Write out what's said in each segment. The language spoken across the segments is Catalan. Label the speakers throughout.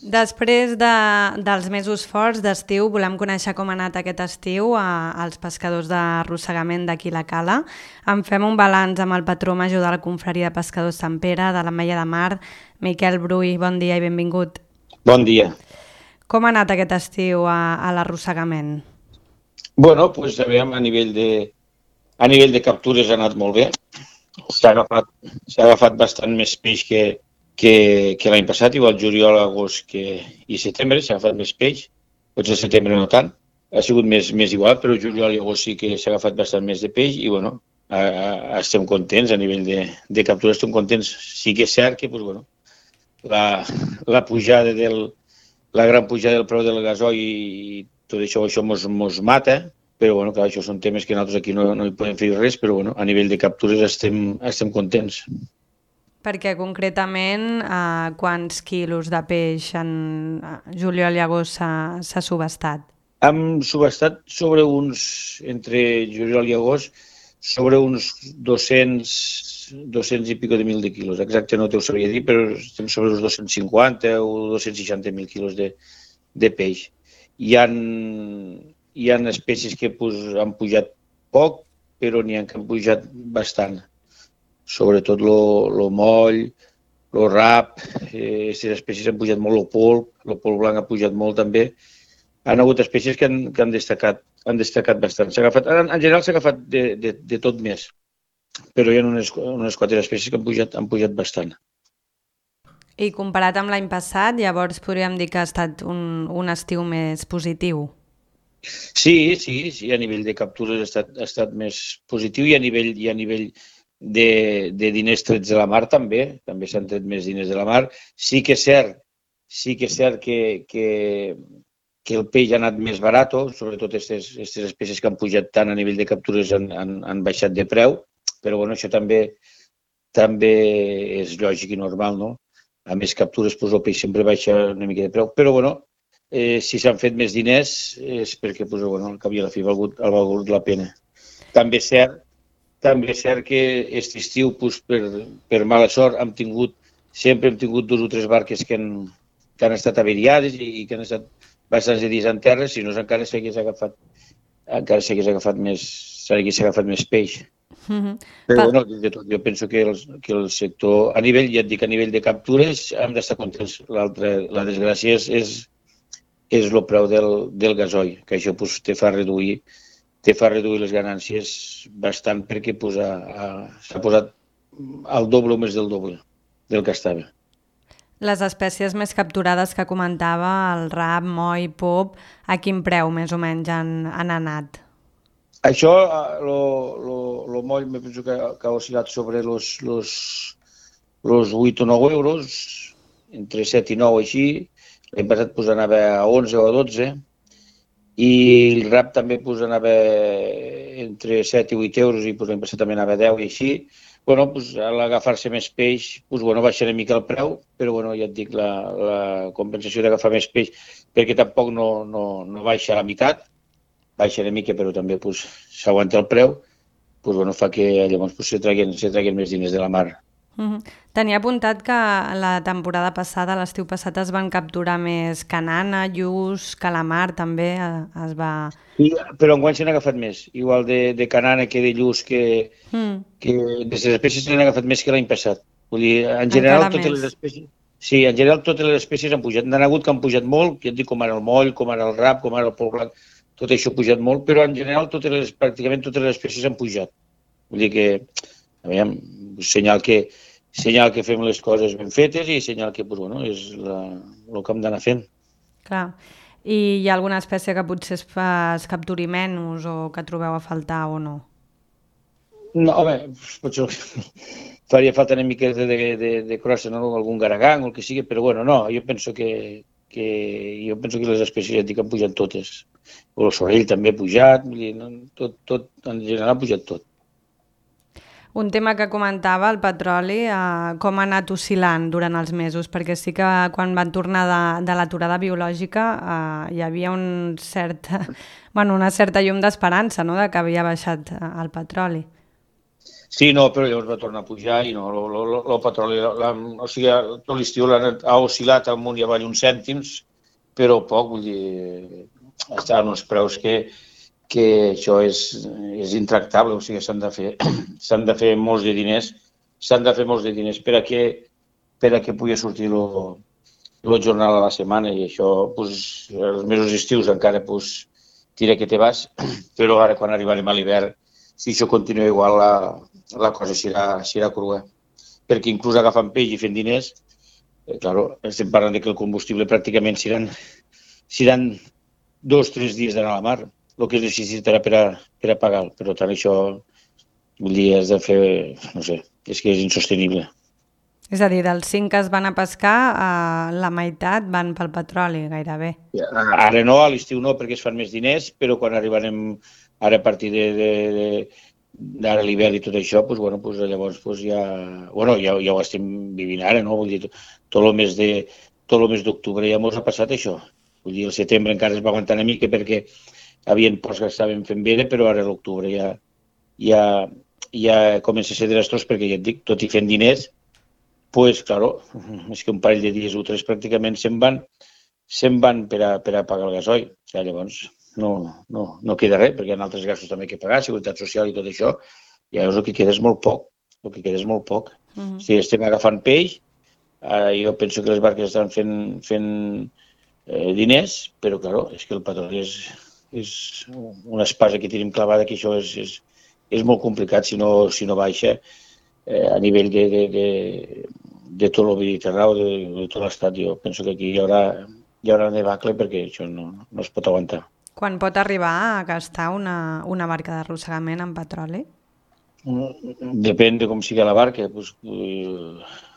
Speaker 1: Després dels mesos forts d'estiu, volem conèixer com ha anat aquest estiu als pescadors d'arrossegament d'aquí la Cala. En fem un balanç amb el patró major de la Confraria de Pescadors Sant Pere, de l'Ametlla de Mar, Miquel Brull. Bon dia i benvingut.
Speaker 2: Bon dia.
Speaker 1: Com ha anat aquest estiu a l'arrossegament?
Speaker 2: Bueno, pues aviam, a nivell de captures ha anat molt bé. S'ha agafat bastant més peix que l'any passat, igual juliol, agost i setembre s'ha agafat més peix, potser setembre no tant, ha sigut més igual, però juliol i agost sí que s'ha agafat bastant més de peix i bueno, estem contents a nivell de captures, estem contents. Sí que és cert que pues, bueno, la pujada la gran pujada del preu del gasoil i tot això mos mata, però bueno, clar, això són temes que nosaltres aquí no hi podem fer res, però bueno, a nivell de captures estem contents.
Speaker 1: Perquè concretament quants quilos de peix en juliol i agost s'ha subestat?
Speaker 2: Hem subestat entre juliol i agost, sobre uns 200 i pico de mil de quilos. Exacte no t'ho sabria dir, però estem sobre uns 250 o 260.000 quilos de peix. Hi ha espècies que han pujat poc, però n'hi ha que han pujat bastant. Sobretot lo moll, lo rap, aquestes espècies han pujat molt, el polp blanc ha pujat molt també. Han hagut espècies que han destacat bastant. En general s'ha agafat de tot més, però hi ha unes 4 espècies que han pujat bastant.
Speaker 1: I comparat amb l'any passat, llavors podríem dir que ha estat un estiu més positiu?
Speaker 2: Sí, a nivell de captures ha estat més positiu i a nivell de diners trets de la mar també s'han tret més diners de la mar. Sí que és cert que el peix ha anat més barat, sobretot aquestes espècies que han pujat tant a nivell de captures han baixat de preu, però bueno, això també és lògic i normal, no? A més captures, doncs, el peix sempre baixa una mica de preu, però bueno, si s'han fet més diners és perquè, doncs, bueno, al cap i a la fi ha valgut la pena. També és cert que aquest estiu, per mala sort, sempre hem tingut 2 o 3 barques que han estat averiades i que han estat bastants dies en terra, si no encara s'hagués agafat més peix. Però bueno, de tot, jo penso que el sector, a nivell de captures, hem d'estar contents. La desgràcia és el preu del gasoil, que això te fa reduir les ganàncies bastant perquè s'ha posat al doble o més del doble del que estava.
Speaker 1: Les espècies més capturades que comentava, el rap, moll, pop, a quin preu més o menys han anat?
Speaker 2: Això, el moll, me penso que ha oscil·lat sobre los 8 o 9 euros, entre 7 i 9 així. L'any passat anava a 11 o a 12, i el rap també anava entre 7 i 8 euros i l'any passat també anava a 10 i així. Bueno, a l'agafar-se més peix, baixa una mica el preu, però bueno, ja et dic, la compensació d'agafar més peix, perquè tampoc no baixa a la meitat, baixa una mica, però també s'aguanta el preu, fa que llavors se treguin més diners de la mar.
Speaker 1: Tenia apuntat que la temporada passada, l'estiu passat, es van capturar més canana, lluç, calamar, també es va...
Speaker 2: Sí, però enguany s'han agafat més, igual de canana que de lluç, que d'aquestes espècies s'han agafat més que l'any passat. Vull dir, en general, totes les espècies... Sí, en general totes les espècies han pujat. N'han hagut que han pujat molt, ja et dic, com ara el moll, com ara el rap, com ara el polp blanc, tot això ha pujat molt, però en general pràcticament totes les espècies han pujat. Vull dir que, aviam, senyal que fem les coses ben fetes i senyal que és el que hem d'anar fent.
Speaker 1: Clar. I hi ha alguna espècie que potser es capturi menys o que trobeu a faltar o no?
Speaker 2: No, home, potser faria falta una mica de crossa, no? Algun garagang o el que sigui, però bueno, no, jo penso que les espècies han pujat totes. O el sorell també ha pujat, tot, en general ha pujat tot.
Speaker 1: Un tema que comentava, el petroli, com ha anat oscil·lant durant els mesos, perquè sí que quan van tornar de l'aturada biològica hi havia una certa llum d'esperança, no?, de que havia baixat el petroli.
Speaker 2: Sí, no, però llavors va tornar a pujar i no, el petroli, o sigui, tot l'estiu ha oscil·lat amunt i avall uns cèntims, però poc, vull dir, està en uns preus que això és intractable, o sigui, s'han de fer molts de diners, per a que pugui sortir el jornal a la setmana i això, doncs, els mesos estius encara, doncs, tira que te vas, però ara quan arribarem a l'hivern, si això continua igual, la cosa serà crua. Perquè inclús agafant peix i fent diners, claro, estem parlant de que el combustible pràcticament seran 2 o 3 dies d'anar a la mar, el que es necessitarà per a pagar. Per tant, això, vull dir, has de fer, no sé, és que és insostenible.
Speaker 1: És a dir, dels 5 que es van a pescar, la meitat van pel petroli, gairebé.
Speaker 2: Ara no, a l'estiu no, perquè es fan més diners, però quan arribarem ara a partir d'ara l'hivern i tot això, doncs, bueno, doncs, llavors doncs, ja ho estem vivint ara, no? Vull dir, tot el mes d'octubre ja ens ha passat això. Vull dir, el setembre encara es va aguantar una mica perquè havien ports que estaven fent bé, però ara l'octubre ja comença a ser desastrós perquè ja et dic, tot i fent diners, pues, claro, és que un parell de dies o 3 pràcticament se'n van per a pagar el gasoil. O sigui, llavors no queda res, perquè hi ha altres gastos també que pagar, seguretat social i tot això, i llavors el que queda és molt poc. Si estem agafant peix, jo penso que les barques estan fent diners, però, claro, és que el petroli és una espasa que tenim clavada, que això és molt complicat si no baixa a nivell de tot el Mediterrani, de tot l'estat. Jo penso que aquí hi haurà una debacle perquè això no es pot aguantar.
Speaker 1: Quan pot arribar a gastar una barca d'arrossegament en petroli?
Speaker 2: Depèn de com sigui la barca. Pues,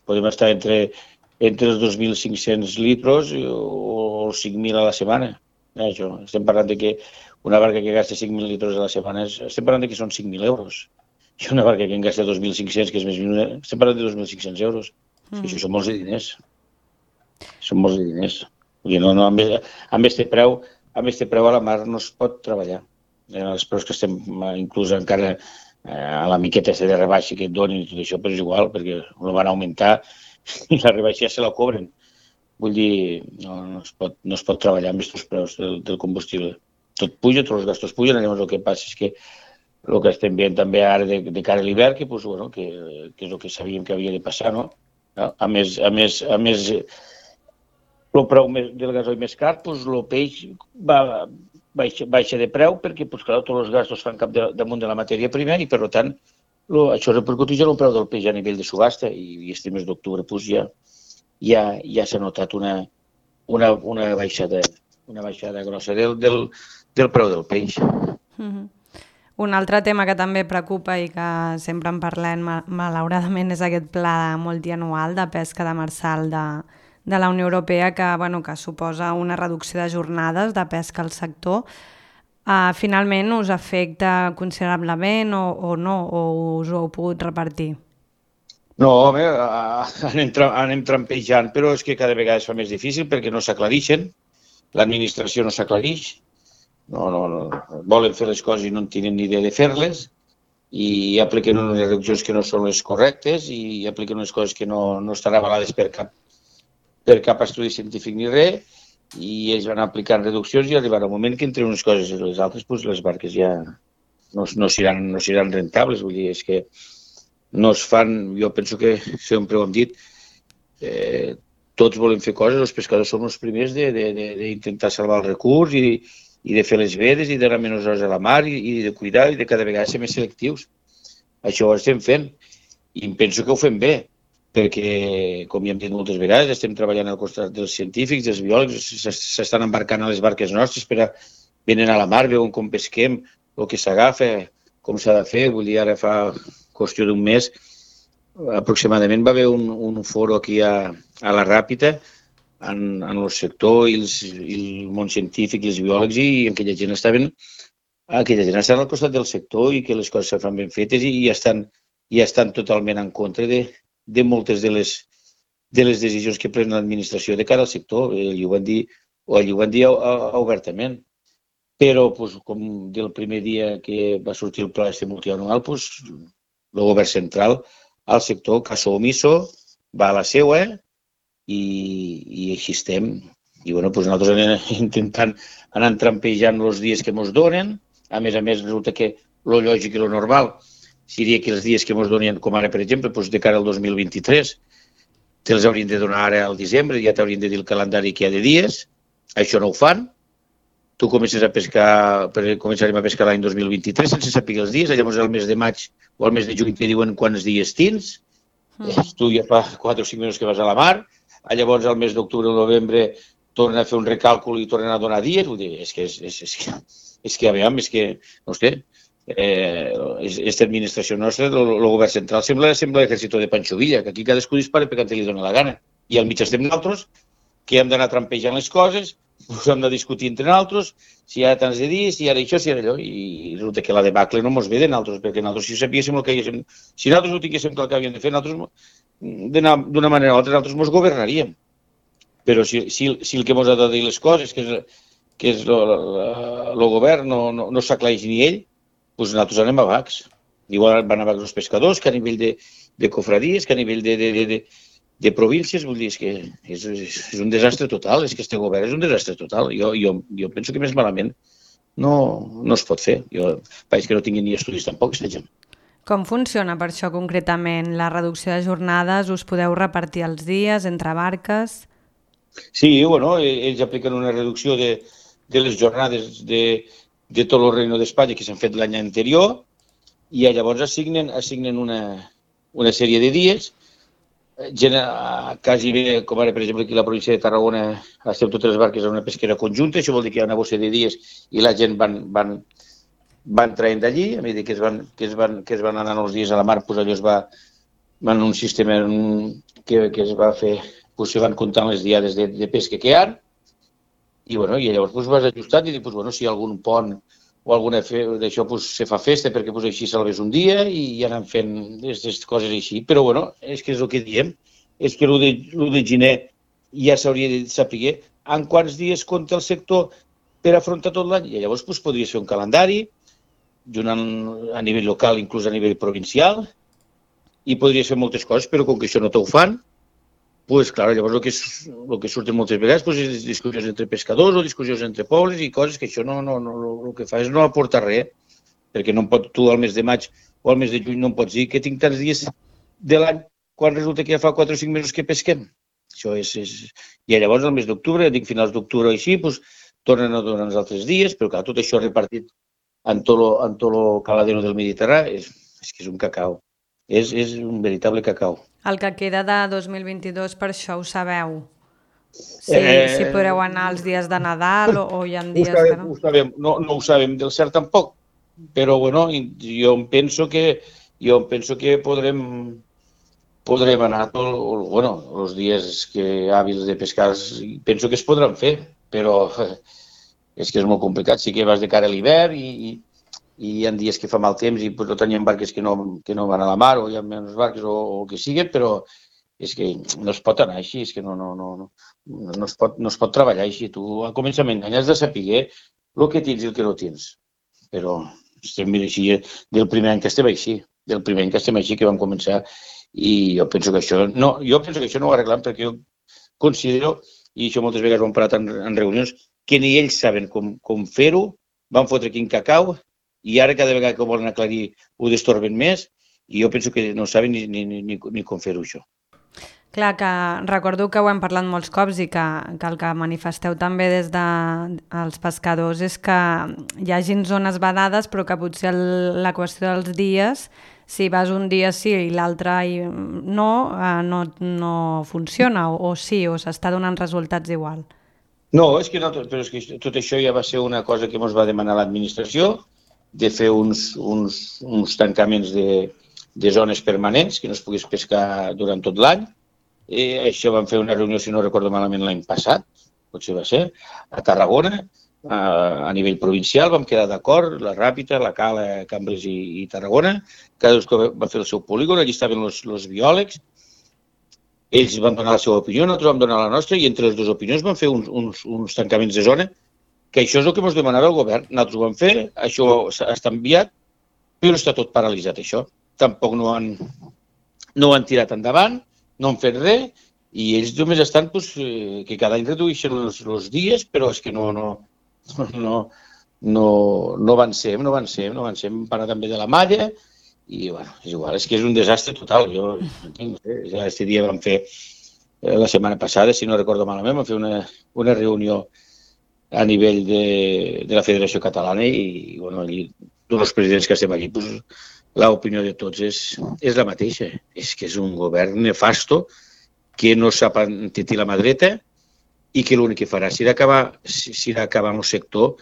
Speaker 2: podem estar entre els 2.500 litros o els 5.000 a la setmana. Això. Estem parlant de que una barca que gasta 5.000 litros a la setmana, estem parlant de que són 5.000 euros. I una barca que en gasta 2.500, que és més minuna, estem parlant de 2.500 euros. Això són molts de diners. Són molts de diners. Vull dir, amb este preu a la mar no es pot treballar. Els preus que estem inclús encara a la miqueta de rebaixa que et donen i tot això, però és igual, perquè no van augmentar i la rebaixa ja se la cobren. Vull dir, no es pot treballar amb aquests preus del combustible. Tot puja, tots els gastos pugen, llavors el que passa és que el que estem veient també ara de cara a l'hivern, que és el que sabíem que havia de passar, no? A més, el preu del gasoil més car, el peix baixa de preu perquè, clar, tots els gastos fan cap damunt de la matèria prima i, per tant, això repercuteix en el preu del peix a nivell de subhasta i este mes d'octubre ja s'ha notat una baixada grossa del preu del peix.
Speaker 1: Un altre tema que també preocupa i que sempre en parlem malauradament és aquest pla multianual de pesca demersal de la Unió Europea que suposa una reducció de jornades de pesca al sector. Finalment us afecta considerablement o no? O us ho heu pogut repartir?
Speaker 2: No, home, anem trampejant, però és que cada vegada es fa més difícil perquè no s'aclareixen, l'administració no s'aclareix, no, volen fer les coses i no en tenen ni idea de fer-les i apliquen unes reduccions que no són les correctes i apliquen unes coses que no estan avalades per cap estudi científic ni res i ells van aplicant reduccions i arribarà un moment que entre unes coses i les altres doncs les barques ja no seran rentables. Vull dir, és que no es fan, jo penso que sempre ho hem dit, tots volem fer coses, els pescadors som els primers d'intentar salvar el recurs i de fer les vedes i d'anar menys hores a la mar i de cuidar i de cada vegada ser més selectius. Això ho estem fent i em penso que ho fem bé, perquè, com ja hem dit moltes vegades, estem treballant al costat dels científics, dels biòlegs, s'estan embarcant a les barques nostres venen a la mar, veuen com pesquem, el que s'agafa, com s'ha de fer. Vull dir, ara fa qüestió d'un mes, aproximadament va haver un foro aquí a la Ràpita, en el sector i el món científic i els biòlegs i aquella gent estan al costat del sector i que les coses se fan ben fetes i estan totalment en contra de moltes de les decisions que pren l'administració de cara al sector. Ells ho van dir obertament. Però, com del primer dia que va sortir el pla multianual, el govern central al sector caso omiso, va a la seua i així estem. I bueno, doncs nosaltres anem intentant anar trampejant els dies que ens donen. A més, resulta que lo lògic i lo normal seria que els dies que ens donen, com ara, per exemple, doncs de cara al 2023, te'ls haurien de donar ara al desembre, ja t'haurien de dir el calendari que hi ha de dies. Això no ho fan. Tu començarem a pescar l'any 2023 sense saber els dies. Llavors, al mes de maig o al mes de juny te diuen quants dies tens. Tu ja fa 4 o 5 mesos que vas a la mar. Llavors, al mes d'octubre o novembre tornen a fer un recàlcul i tornen a donar dies. Vull dir, és que, no sé, aquesta administració nostra, el govern central, sembla l'exèrcit de Pancho Villa, que aquí cadascú dispara perquè li dona la gana. I al mig estem nosaltres, que hem d'anar trampejant les coses, us hem de discutir entre nosaltres, si hi ha tants de dies, si hi ha això, si hi ha allò, i resulta que la debacle no mos ve de nosaltres, perquè nosaltres si sabíéssim el que haguéssim, si nosaltres ho tinguéssim clar que havíem de fer, nosaltres d'una manera o altra nosaltres mos governaríem. Però si el que mos ha de dir les coses, que és el govern, no s'aclareix ni ell, doncs nosaltres anem a vacs. Igual van a vacs els pescadors, que a nivell de cofradies, que a nivell de províncies, vull dir, és que és un desastre total, és que este govern és un desastre total. Jo penso que més malament no es pot fer. Jo veig que no tinguin ni estudis tampoc, aquesta gent.
Speaker 1: Com funciona per això concretament? La reducció de jornades, us podeu repartir els dies entre barques?
Speaker 2: Sí, bueno, ells apliquen una reducció de les jornades de tot el Reino d'Espanya que s'han fet l'any anterior i llavors assignen una sèrie de dies. Quasi bé, com ara, per exemple, aquí a la província de Tarragona estem totes les barques en una pesquera conjunta, això vol dir que hi ha una bossa de dies i la gent van traient d'allí, a mesura que es van anant els dies a la mar, doncs allò es va en un sistema que es va fer, doncs se van comptant les diades de pesca que hi ha, i llavors doncs vas ajustant i dius, bueno, si hi ha algun pont o alguna d'això se fa festa perquè així salves un dia i anem fent aquestes coses així. Però bueno, és que és el que diem, és que l'1 de gener ja s'hauria de saber en quants dies compta el sector per afrontar tot l'any. I llavors podries fer un calendari a nivell local, inclús a nivell provincial, i podries fer moltes coses, però com que això no t'ho fan, doncs, clar, llavors el que surten moltes vegades és discussions entre pescadors o discussions entre pobles i coses que això el que fa és no aportar res, perquè no pot, tu al mes de maig o al mes de juny no em pots dir que tinc tants dies de l'any quan resulta que ja fa 4 o 5 mesos que pesquem. Això és... I llavors al mes d'octubre, dic finals d'octubre així, doncs tornen a donar els altres dies, però clar, tot això repartit en tot el caladero del Mediterrani és que és un cacau. És un veritable cacau.
Speaker 1: El que queda de 2022, per això ho sabeu? Si podreu anar els dies de Nadal o hi ha dies que no?
Speaker 2: Ho sabem, no ho sabem del cert tampoc, però bueno, jo em penso que podrem anar els dies hàbils de pescar, penso que es podran fer, però és que és molt complicat. Sí que vas de cara a l'hivern i hi ha dies que fa mal temps i no tenim barques que no van a la mar o hi ha menys barques o el que sigui, però és que no es pot anar així, és que no es pot treballar així. Tu al començament has de saber el que tens i el que no tens, però estem així del primer any que estem així, que vam començar, i jo penso que això no ho arreglam perquè jo considero, i això moltes vegades ho hem parlat en reunions, que ni ells saben com fer-ho, van fotre quin cacau, i ara cada vegada que ho volen aclarir ho destorben més i jo penso que no saben ni com fer-ho això.
Speaker 1: Clar, que recordo que ho hem parlat molts cops i que el que manifesteu també des dels pescadors és que hi hagin zones vedades però que potser la qüestió dels dies, si vas un dia sí i l'altre no funciona o sí, o s'està donant resultats igual.
Speaker 2: No, és que tot això ja va ser una cosa que ens va demanar l'administració, de fer uns tancaments de zones permanents, que no es pogués pescar durant tot l'any. Això vam fer una reunió, si no recordo malament, l'any passat, potser va ser, a Tarragona, a nivell provincial, vam quedar d'acord, la Ràpita, la Cala, Cambrils i Tarragona, cadascú va fer el seu polígon, allí estaven els biòlegs, ells van donar la seva opinió, nosaltres vam donar la nostra, i entre les dues opinions vam fer uns tancaments de zona, que això és el que ens demanava el govern. Nosaltres ho vam fer, això està enviat, però està tot paralitzat, això. tampoc no ho han tirat endavant, no han fet res, i ells només estan que cada any redueixen els dies, però és que no avancem, hem parlat també de la malla, i bueno, és igual, és que és un desastre total. Jo no sé, ja aquest dia vam fer, la setmana passada, si no recordo malament, vam fer una reunió a nivell de la Federació Catalana i bueno, tots els presidents que estem aquí, l'opinió de tots és la mateixa. És que és un govern nefasto que no sap entetir la mà dreta i que l'únic que farà serà acabar amb el sector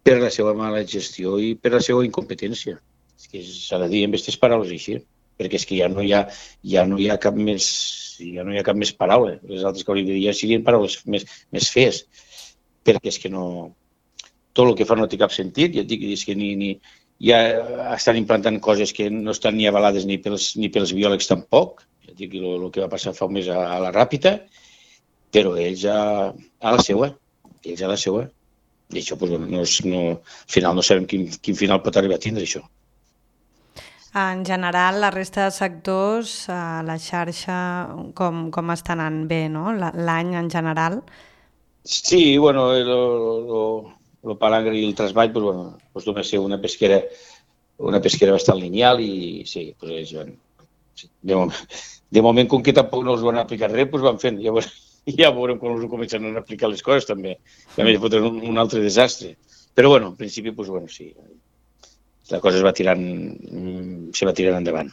Speaker 2: per la seva mala gestió i per la seva incompetència. És que s'ha de dir amb aquestes paraules així, perquè és que ja no hi ha cap més paraula. Les altres que hauríem de dir ja serien paraules més fees, perquè és que no... Tot el que fa no té cap sentit, ja et dic, és que ja estan implantant coses que no estan ni avalades ni pels biòlegs tampoc, ja et dic el que va passar fa un mes a la Ràpita, però ells a la seva. I això, al final no sabem quin final pot arribar a tindre això.
Speaker 1: En general, la resta de sectors, la xarxa, com està anant bé, no? L'any en general?
Speaker 2: Sí, bueno, el palangre i el trasball, només ser una pesquera bastant lineal i sí, de moment, com que tampoc no els van aplicar res, van fent, ja veurem quan els comencen a aplicar les coses també fotran un altre desastre. Però bueno, en principi, sí, la cosa se va tirant endavant.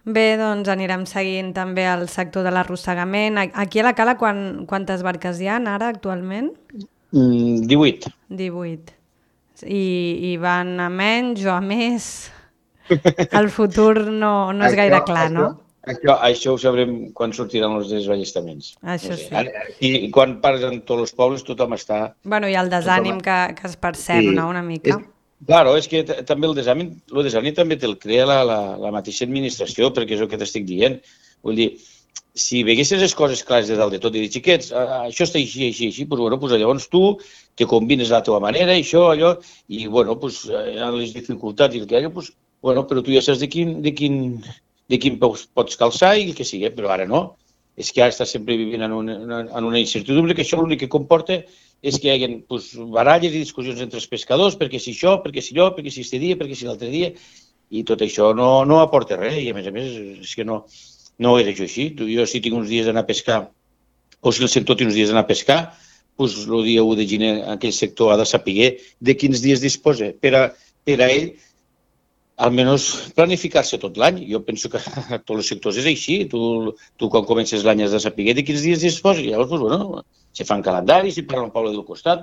Speaker 1: Bé, doncs anirem seguint també el sector de l'arrossegament. Aquí a la Cala quantes barques hi ha ara actualment?
Speaker 2: 18.
Speaker 1: 18. I van a menys o a més? El futur no és gaire clar, no?
Speaker 2: Això ho sabrem quan sortiran els desballestaments.
Speaker 1: Això sí.
Speaker 2: I quan parlen tots els pobles tothom està...
Speaker 1: Bueno, i el desànim que es percep, no?, una mica.
Speaker 2: Claro, és que també el desànim també te'l crea la mateixa administració, perquè és el que t'estic dient. Vull dir, si veguessis les coses clares de dalt de tot i dir, xiquets, això està així, llavors tu te combines de la teva manera, això, allò, i les dificultats i el que hi ha, però tu ja saps de quin pots calçar i el que sigui, però ara no. És que ara estàs sempre vivint en una incertidumbre, que això l'únic que comporta és que hi hagi baralles i discussions entre els pescadors, perquè si això, perquè si allò, perquè si este dia, perquè si l'altre dia, i tot això no aporta res, i a més és que no era jo així. Jo si tinc uns dies d'anar a pescar, o si el sector té uns dies d'anar a pescar, el dia 1 de gener aquell sector ha de saber de quins dies disposa per a ell, almenys planificar-se tot l'any. Jo penso que a tots els sectors és així. Tu quan comences l'any has de saber de quins dies disposa. Llavors, se fan calendaris, se parla amb Paula del costat,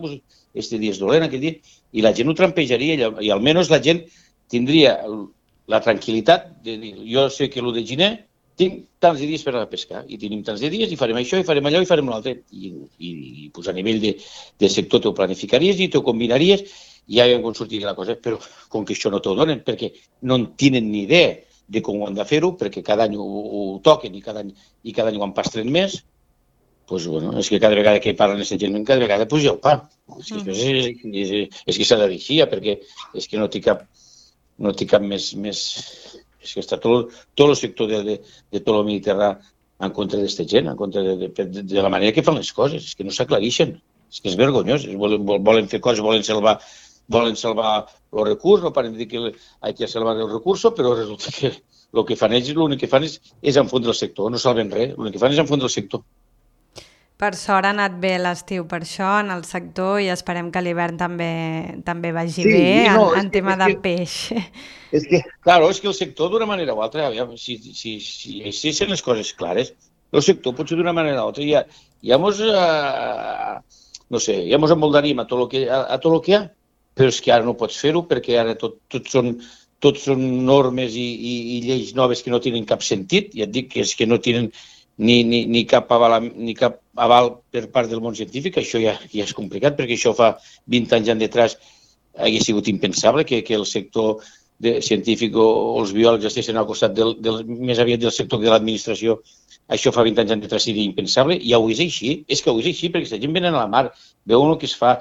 Speaker 2: este dia és dolent, aquell dia, i la gent ho trampejaria, i almenys la gent tindria la tranquil·litat de dir, jo sé que l'1 de gener tinc tants de dies per anar a pescar, i tenim tants de dies, i farem això, i farem allò, i farem l'altre. I a nivell de sector t'ho planificaries i t'ho combinaries, i ja com sortiria la cosa, però com que això no t'ho donen, perquè no en tenen ni idea de com ho han de fer-ho, perquè cada any ho toquen i cada any ho empastren més, és que cada vegada que parlen aquesta gent, cada vegada ja ho fa. És que s'ha de dir així, perquè és que no té cap més... És que està tot el sector de tot el Mediterrani en contra d'aquesta gent, en contra de la manera que fan les coses, és que no s'aclareixen. És que és vergonyós, volen fer coses, volen salvar el recurs, no paren de dir que hay que salvar el recurs, però resulta que el que fan ells, l'únic que fan és enfondre el sector, no salven res, l'únic que fan és enfondre el sector.
Speaker 1: Per sort ha anat bé l'estiu per això en el sector i esperem que l'hivern també vagi bé en tema de peix.
Speaker 2: És que el sector d'una manera o altra, si són les coses clares, el sector potser d'una manera o altra ja mos emoldaríem a tot el que hi ha, però és que ara no pots fer-ho perquè ara tot són normes i lleis noves que no tenen cap sentit, ja et dic que és que no tenen ni cap aval per part del món científic. Això ja és complicat, perquè això fa 20 anys enrere hauria sigut impensable que el sector científic o els biòlegs estiguessin al costat més aviat del sector de l'administració. Això fa 20 anys enrere seria impensable, i avui és així. És que avui és així, perquè la gent venen a la mar, veuen el que es fa,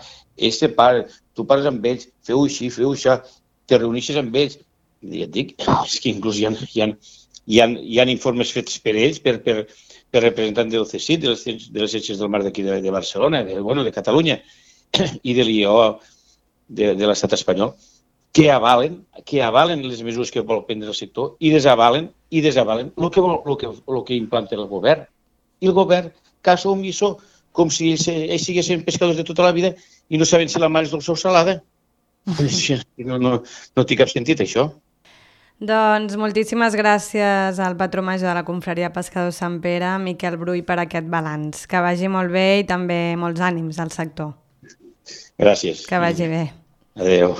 Speaker 2: tu parles amb ells, feu així, feu això, te reuneixes amb ells, ja et dic, és que inclús hi ha informes fets per ells, per representants del CSIC, de les Ciències del Mar d'aquí de Barcelona, de Catalunya i de l'IO de l'estat espanyol, que avalen les mesures que vol prendre el sector i desavalen el que implanta el govern. I el govern, caso omiso, com si ells siguessin pescadors de tota la vida i no saben si la mar és dolça o salada. No té cap sentit, això.
Speaker 1: Doncs moltíssimes gràcies al patró major de la Confraria Pescadors Sant Pere, Miquel Brull, per aquest balanç. Que vagi molt bé i també molts ànims al sector.
Speaker 2: Gràcies.
Speaker 1: Que vagi bé.
Speaker 2: Adéu.